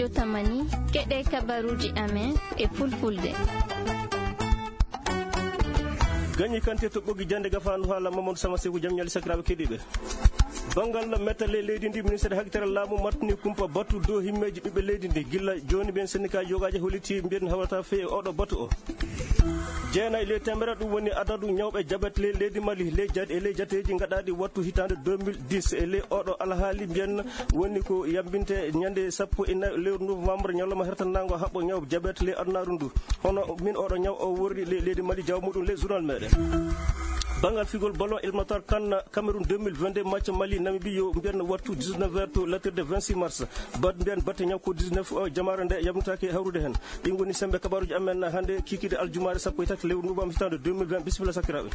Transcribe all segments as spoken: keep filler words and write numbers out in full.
Yo tamani, keɗe kabaruuji amen e fulfulde. Gañi kante to ɓoggi jannde gafaandu haala Mamadou Sama Seku, jam ñaali sakiraaɓe keɗiiɓe. Banngal mettale leydi ndi, ministre hakkitare laamu martini kumpa batu dow himmeeji ɓiɓɓe leydi ndi. Gilla jooni ɓen sendikaaji yogaaji holliti mbiyen hawrata fey e oɗo batu o. Jeenayi ley temere ɗum woni adadu ñawɓe jabet ley leydi Mali, ley jat-, e ley jateeji gaɗaaɗi wattu hitaande deux mille dix. E ley oɗo alhaali mbiyen woni ko yambinte ñande sappo e nayi lewru novembre, ñalawma hertanango haɓɓo ñaw jabet ley adunaaru ndu. Hono min oɗo ñaw o worri ley leydi Mali, jawa muɗum ley journal meɗen. Banngal figol ballon éliminatoire CAN Cameroun deux mille vingt-deux, match Mali Namibie yo mbiyen wattu dix-neuf heures to latirde vingt-six mars. Bat mbiyen batte ñaw ko dix-neuf o, jamaare nde yamnitaake hawrude hen. Ɗin ngoni sembe kabaruji amen hande, kikide aljumaare sappo e tati lewru novembre hitaande deux mille vingt. Bisimilla sakiraaɓe.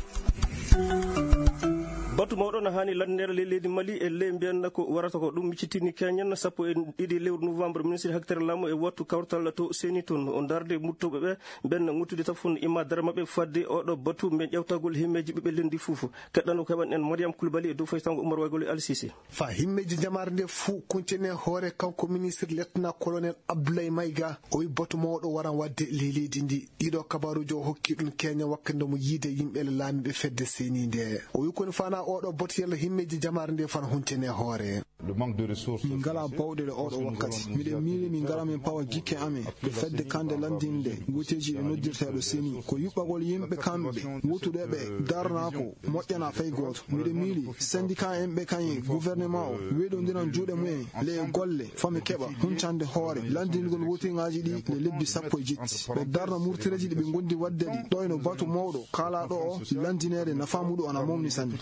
Batu mawɗo na hani landinere ley leydi Mali e ley mbiyen ko warata ko ɗum miccitini keñen sappo e ɗiɗi lewru novembre. Ministre hakkitare laamu e wattu kawtal to seni toon o darde muttoɓe ɓe mben ŋuttude tafon imma dara maɓɓe fadde oɗo batu mben ƴewtagol himmeeji ɓiɓɓe lendi fof. Keɗɗano ko heɓan en Mariam Koulibaly e dow faytango Oumar Waygol e Al Sisi. Fa himmeeji jamaare nde fuu kuncene hoore kanko ministre lieutenant colonel Abdoulaye Maïga, o wi batu mawɗo waran waɗde ley leydi ndi. Ɗiɗo kabaruuji o hokki ɗum keña wakkati nde mo yiide yimɓe le laamiiɓe fedde seni nde. O wi koni fana oɗo batu yalla himmeeji jamaare nde fana huncene hoore. Min ngalaa bawɗe le oɗo wakkati. Miɗen miili min ngara min pawa jikke amen. Ko fedde kande landinde nde, gooteeji ɗe noddirteeɗo seni. Ko yuɓɓagol yimɓe kamɓe, wutude ɓe, darnaa ko, moƴƴanaa fay gooto. Miɗen miili, syndicat en ɓe kañe gouvernement o, weɗondiran juuɗe mumen, le golle, fami keɓa, huncande hoore, landingol wootiŋaaji ɗi le lebbi sappo e jetti. Ɓe darna murtireeji ɗi ɓe ngondi waɗde ɗi, ɗo eno batu mawɗo, kaalaaɗo o, landineede nafaa muɗum ana mawni sanne.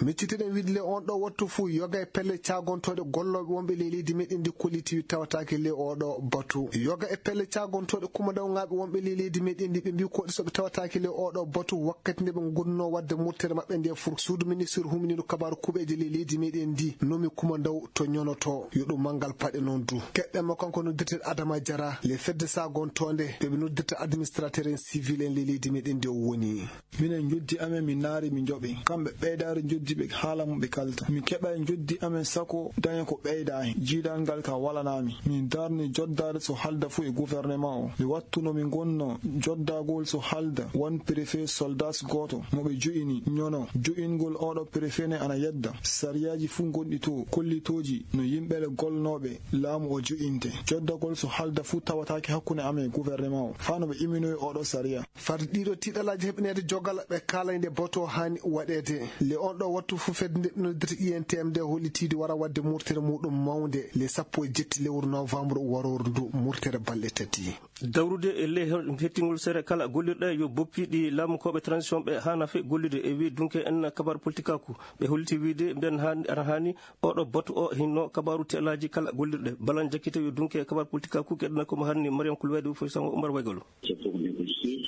Miccitiɗen wiide le on ɗo wattu fuu, yoga e pelle caagontooɗe gollooɓe wonɓe ley leydi meɗen ndi kolliti tawataake le oɗo batu. Yoga e pelle caagontooɗe kumandawŋaaɓe wonɓe ley leydi meɗen ndi ɓe mbii koɗi so ɓe tawataake le oɗo batu wakkati nde ɓe ngonno waɗde murtere maɓɓe nde fur. Suudu ministre huminiiɗo kabaaru kuuɓeeje ley leydi meɗen ndi nomi kumandaw to ñonoto. Yo ɗum manngal paɗe noon du. Keɗɗen mo kanko noddirte Adama Jara, le fedde saagontoonde ɓe ɓe noddirta administrateur en civil en ley leydi meɗen ndi o woni. Minen njoddi amen, min naari, min njoɓi. Kamɓe ɓeydaari njoddi ɓe haala mo ɓe kalta. Min keɓa e njoddi amen sako daña ko ɓeyda hen. Jiidal ngal ka walanaa mi. Min darni joddaade so halda fuu e gouvernement o. Ɓe wattuno mi ngonno joddagol so halda won préfet soldat gooto mo ɓe jo'ini ñono. Jo'ingol oɗo préfet ne ana yedda. Sariyaaji fuu ngonɗi to, kollitooji no yimɓe le golnooɓe laamu o jo'inte. Joddagol so halda fuu tawataake hakkunde amen e gouvernement o. Fano ɓe iminoyi oɗo sariya. Far ɗiɗo tiiɗalaaji heɓineede jogal ɓe kaalay nde boto haani waɗeede. Le on ɗo wattu fuu fedde nde ɓe noddirta I N T M nde hollitiide wara waɗde murtere muɗum mawnde le sappo e jetti lewru novembre warooru ndu, murtere balɗe tati. Dawrude e ley he-, hettingol sere kala gollirɗe yo boppi ɗi laamukooɓe transition ɓe haana fe gollude e wi dunke en kabar politikaaku. Ɓe holliti wiide mbiyen haani, ana haani oɗo batu o hinno kabaru telaaji kala gollirɗe. Balan jakkite yo dunke kabar politikaaku keɗɗana ko mo hanni Mariam Kulwedi foy sango Umar Waygolo.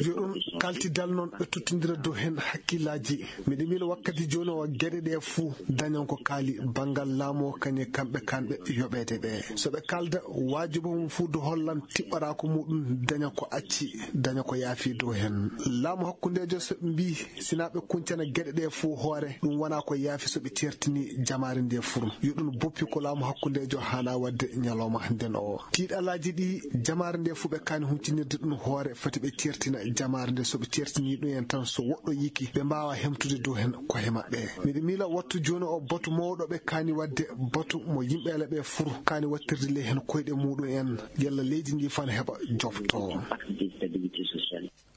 Yo ɗum kaltidal noon ɓe tottindira dow heen hakkillaaji. Miɗo miila wakkati jooni o geɗe ɗe fuu dañan ko kaali banngal laamu o kañe kamɓe kanɓe yoɓeede ɓe. So ɓe kaalda waajibo mum fuu do hollan tiɓɓaraako muɗum daña ko acci, daña ko yaafi dow heen. Laamu hakkundeejo so ɓe mbii sinaa ɓe kuncana geɗe ɗe fuu hoore, ɗum wonaa ko yaafi so ɓe ceertini jamaare nde fur. Yo ɗum boppi ko laamu hakkundeejo haana waɗde ñalawma nden o. Tiiɗalaaji ɗi jamaare nde fuu ɓe kaani huncinirde ɗum hoore, fati ɓe ceertina jamaare nde. So ɓe ceertini ɗum en tan, so woɗɗo yiki, ɓe mbaawa hemtude dow heen ko he maɓɓe. Miɗo miila wattu jooni o batu mawɗo ɓe kaani waɗde, batu mo yimɓe ala ɓe fur kaani wattirde ley heen koyɗe muɗum en, yalla leydi ndi fan heɓa jofto.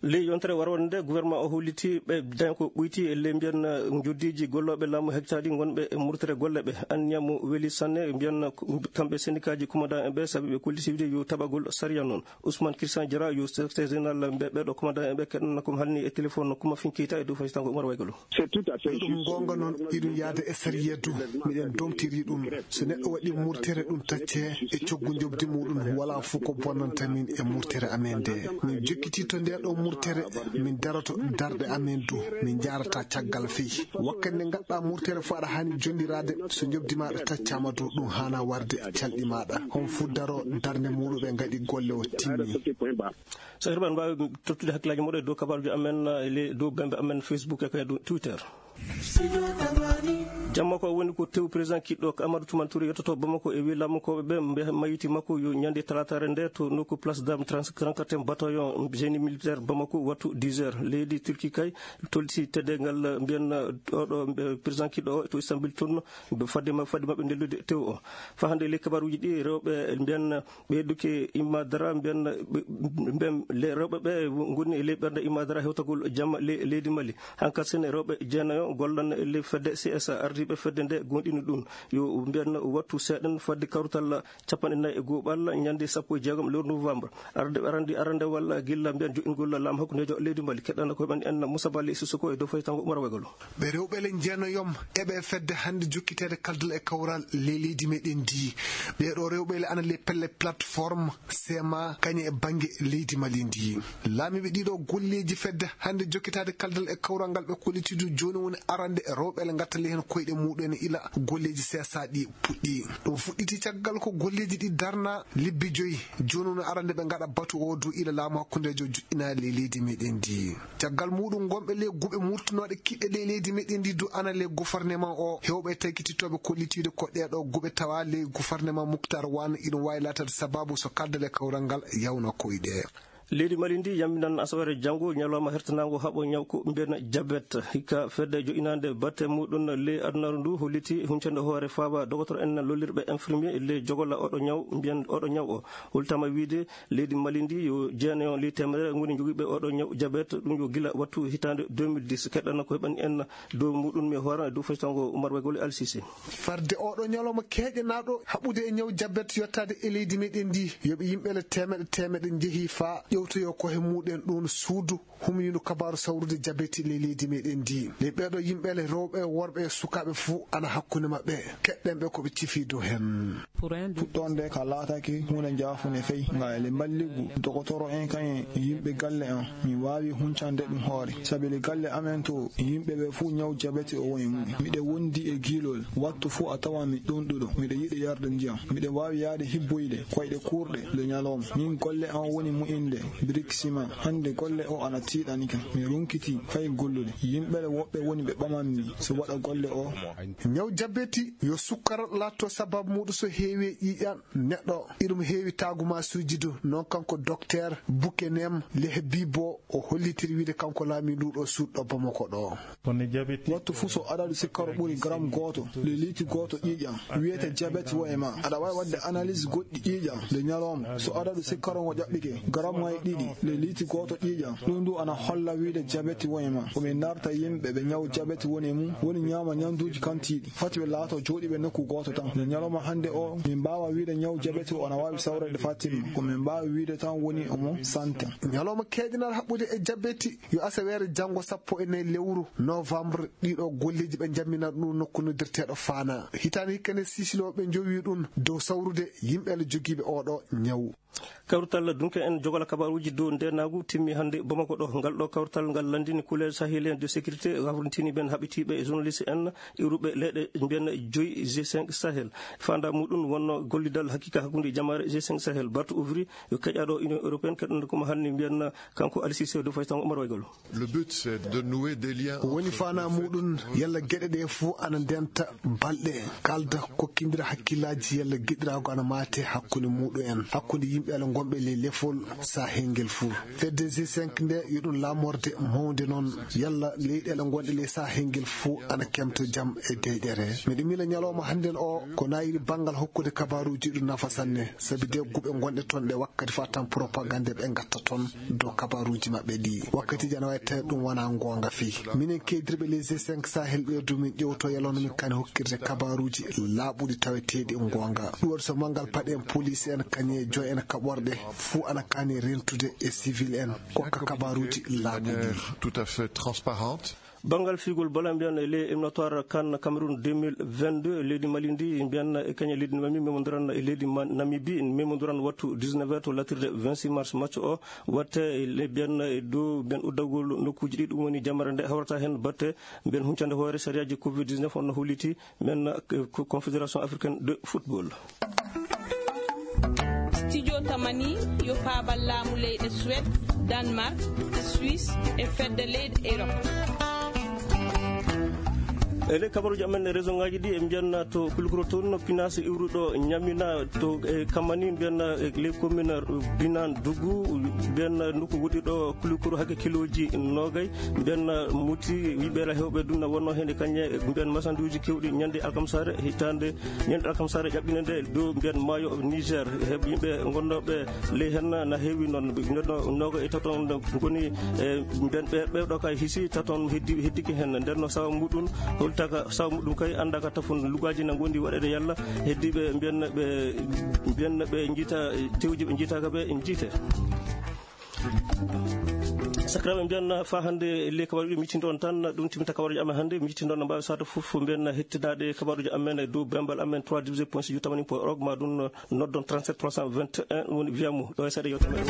Ley yontere warwande nde, gouvernement o holliti ɓe daña ko ɓoyti e ley mbiyen, eh, njoddiiji gollooɓe laamu hectaaji ngonɓe e murtere golle ɓe. Anniya mo weli sanne, mbiyen kamɓe sendikaaji commandant en ɓe, sabi ɓe kolliti wiide yo taɓagol sariya noon. Ousmane Christian Diarra yo secrétaire général ɓe, ɓeɗo commandant en ɓe keɗɗana ko halni e téléphone no Kuma Finkita e dow faytango Umar Waygolo. Ɗum goonga noon, iɗum yaada e sariya du. Miɗen domtiri ɗum. So neɗɗo waɗi murtere, ɗum tacce e coggu njoɓdi muɗum, wala fof ko bonnanta min e murtere amen nde. Min jokkiti to nde ɗo murtere, min daroto darɗe amen du. Min njaarata caggal fey. Wakkati nde ngaɗɗa murtere fof aɗa haani jonndirade. So njoɓdi maɗa taccama du, ɗum haana warde calɗi maɗa. On fof daro darnde muɗum ɓe ngaɗi golle o timmi. So heɓe mbaawi tottude hakkillaaji muɗum e dow kabaruuji amen, eh, le-, dow bembe amen Facebook e kay dow Twitter. Jamma ko woni ko tew président kiɗɗo ko Amadou Toumane Touré yettoto Bamako e wi lamkooɓe ɓe mbe mayiti makko yo ñande talataare nde to nokku place dame trente-quatre bataillon génie militaire Bamako wattu dix heures. Leydi Turquie kay tolti teddengal mbiyan oɗo président kiɗɗo o to Istanbul toon fadde ma-, fadde maɓɓe ndellude tew o. Fa hannde ley kabaruuji ɗi rewɓe mbiyan ɓeyduki Imma Dara mbiyan ɓe, mbiyan le-, rewɓe ɓe ngoni e ley ɓernde Imma Dara hewtagol jamma le-, leydi Mali. Hanka sen rewɓe jeenayo gollan e ley fedde C S A, ardiiɓe fedde nde goonɗini ɗum. Yo mbiyan wattu seeɗan fadde kawrital capanɗe nayi e go'oɓal ñande sappo e jeegom lewru novembre. Arde, arande, arandewal gilla mbiyan joɗɗingol laamu hakkundeejo leydi Mali. Keɗɗana ko ɓen en Moussa Bally Sissoko e dow faytango Umar Wegolo. Ɓe rewɓe le jeenayom eɓe fedde hannde jokkiteede kaldal e kawral ley leydi meɗen ndi. Ɓeeɗo rewɓe le ana ley pelle plateforme sema kañe e bannge leydi Mali ndi. Laamiiɓe ɗiɗo golleeji fedde hannde jokkitaade kaldal e kawral ngal ɓe kollitidu jooni woni arande rewɓe le ngattali heen koyɗe muɗum en ila golleeji C S A ɗi puɗɗi. Ɗum fuɗɗiti caggal ko golleeji ɗi darna lebbi joyi. Jooni woni arande ɓe ngaɗa batu o dow ila laamu hakkundeejo joɗɗinaali ley leydi meɗen ndi. Caggal muɗum, gonɓe ley guɓe murtunooɗe kiɗɗe ley leydi meɗen ndi du ana ley gouvernement o, hewɓe tagititooɓe kollitiiɗo ko ɗeeɗo guɓe tawa ley gouvernement Muktar Wan, iɗum waawi laataade sababu so kaldal e kawral ngal yawna koyɗe. Leydi Mali ndi yamminan asawaare janngo ñalawma hertanaango haɓo ñaw ko mbiyan jabet. Hikka fedde joɗɗinaande batte muɗum ley adunaaru ndu holliti huncande hoore faaba dogotoro en lollirɓe infirmier ley jogola oɗo ñaw, mbiyan oɗo ñaw o. Holtama wiide leydi Mali ndi yo jeenayo ley teemedere ngoni jogiiɓe oɗo ñaw jabet, ɗum yo gila wattu hitaande deux mille dix. Keɗɗana ko heɓani en dow muɗum mi hoora e dow faytango Umar Wegol Al Sisi. Farde oɗo ñalawma keeƴanaaɗo haɓude e ñaw jabet yottaade e leydi meɗen ndi, yoɓe yimɓe le teemeɗe teemeɗe njehi faa ƴewtoyo ko he muɗen ɗum suudu humniiɗo kabaaru sawrude jabeti ley leydi meɗen ndi. Ley ɓeeɗo yimɓe le rewɓe, worɓe e sukaaɓe fuu ana hakkunde maɓɓe. Keɗɗen ɓe ko ɓe cifi dow heen. Fuɗɗoonde ka laatake huunde njaafunde fey, nga ele mballigu dogotoro en kañe yimɓe galle am. Mi waawi huncande ɗum hoore. Sabi le galle amen to yimɓe ɓe fuu ñaw jabeti o woni mum. Miɗe wondi e giilol. Wattu fuu a tawa mi ɗunɗuɗo. Miɗe yiɗi yarde ndiyam. Miɗe waawi yaade hibboyde koyɗe kuurɗe le ñalawma. Min golle am woni mu'inde briksima. Hannde golle o ana tiiɗani kam. Mi runkitii fay gollude. Yimɓe le woɓɓe woni ɓe ɓamanmi so waɗa golle o. Ñaw jabeti yo sukkara laatto sababu muɗum so heewi e ƴiiƴan neɗɗo. Iɗum heewi taagumaasuuji du. Noon kanko dokteer Bukenem Lehbibo o hollitiri wiide kanko laamiiɗo ɗo suuɗo Bamako ɗo. Wattu fuu so adadu sikkaro ɓuri garam gooto, le liiti gooto ƴiiƴan, wiyete jabet wo e ma. Aɗa waawi waɗde analyse goɗɗi ƴiiƴan le ñalawma. So adadu sikkaro ngo ƴaɓɓike garam ŋay ɗiɗi, le liiti gooto ƴiiƴan, ɗum du ana holla wiide jabeti wo e ma. Ko min narta yimɓe ɓe ñaw jabeti woni e mum, woni ñaama ñanduuji kantiiɗi. Fati ɓe laato jooɗiiɓe nokku gooto tan. Le ñalawma hannde o, min mbaawa wiide ñaw jabeti o ana waawi sawreede faa timma. Ko min mbaawi wiide tan woni omo santa. Ñalawma keeƴanal haɓɓude e jabeti yo asaweere janngo sappo e nayi lewru novembre. Ɗiɗo golleeji ɓe njamminaa ɗum nokku noddirteeɗo Faana. Hitaande hikka nde Sisilooɓe njowi ɗum dow sawrude yimɓe le jogiiɓe oɗo ñaw. Kawrital dunke en jogola kabaruuji dow ndeenaagu timmi hannde Bamako ɗo. Ngal ɗo kawrital ngal lanndini kuleer sahélien de sécurité, hawrintini ɓeen haɓitiiɓe e journaliste en iwruɓe leyɗe mbiyan joyi G cinq Sahel. Faanda muɗum wonno gollidal hakiika hakkunde jamaare G cinq Sahel. Bartu Ouvri yo keƴaaɗo Union Européenne keɗɗo ko mo hannde mbiyan kanko Al Sisi dow faytango Omar Waygol. Le but, c'est de nouer des liens. Ko woni entre faanaa muɗum, yalla geɗe ɗe fof ana ndenta balɗe, kalda, kokkindira hakkillaaji, yalla giɗiraago ana maate hakkunde muɗum en, hakkunde yimɓe Allah ngonɓe ley lefol sahel ngel fof. Fedde G cinq nde, yo ɗum laamorde mawnde noon, yalla leyɗeele ngonɗe ley sahel ngel fof ana kemto jam e deyɗere. Miɗo miila ñalawma hannden o, ko naayiri banngal hokkude kabaaruuji ɗum nafa sanne, sabi de guɓe ngonɗe toon ɗe wakkati fof tan propagande ɓe ngatta toon dow kabaaruuji maɓɓe ɗi. Wakkatiiji ana waawi tawi ɗum wonaa ngoonga fii. Minen keedirɓe les G cinq Sahel ɓeydu min ƴewto yalawno min kani hokkirde kabaaruuji laaɓuɗi taweteeɗi ngoonga. Ɗum waɗi so manngal paɗe en, police en, kañe joy en kaɓorɗe fuu ana kani rentude e civil en kokka kabaaruuji laaɓuɗi. Tout à fait transparente. Banngal fiigol bala mbiyan e ley éliminatoire CAN Cameroun deux mille vingt-deux, leydi Mali ndi mbiyan e kañe leydi Mali memondiran e leydi Ma-, Namibie, memondiran wattu dix-neuf heures to latirde vingt-six mars. Match o watte e le-, mbiyan e dow mbiyan uddagol nokkuuji ɗi, ɗum woni jamare nde hawrata heen batte mbiyan huncande hoore sariyaaji covid dix-neuf on no holliti mbiyan, eh, ko Confédération Africaine de Football. Studio Tamani yo faabal laamu leyɗe Suède, Danemark, Suisse e fedde leyɗe Europe. E ley kabaruuji amen e région ŋaaji ɗi, en mbiyanna to Kulukuro toon, no pinaas iwruɗo ñamina to e Kamani, mbiyanna e ley commune Binan Dugu, mbiyanna nokku woɗɗiɗo Kulukuro hakke kilooji noogay, mbiyanna Muti, wiɓeera hewɓe ɗum na wonno heen e kañe, mbiyan masanduuji kewɗi ñande alkamsaare, hitaande ñande alkamsaare ƴaɓɓinde nde dow mbiyan maayo Niger, heɓ yimɓe gonnooɓe ley heen na heewi noon, ɓe neɗɗo nooga e taton ngoni e mbiyan ɓe, ɓe ɗo kay hisi taton heddi, heddiki heen. Nden no sawa muɗum, holtaka sawa muɗum kay annda ka tafon lugaaji na ngondi waɗeede yalla heddiiɓe mbiyan ɓe, mbiyan ɓe njiita tewji ɓe njiitaaka ɓe njiite. Sakiraaɓe, mbiyan fa hannde le kabaruji miccinde on tan, ɗum timta kabaruji amen hannde, miccinde on no mbaawi sata fof mbiyan hettinaade kabaruji amen e dow bembal amen trois divisé point si jutamani point org ma ɗum noddon trente-sept trois cent vingt et un woni viamu ɗo e seeɗa yewtere men.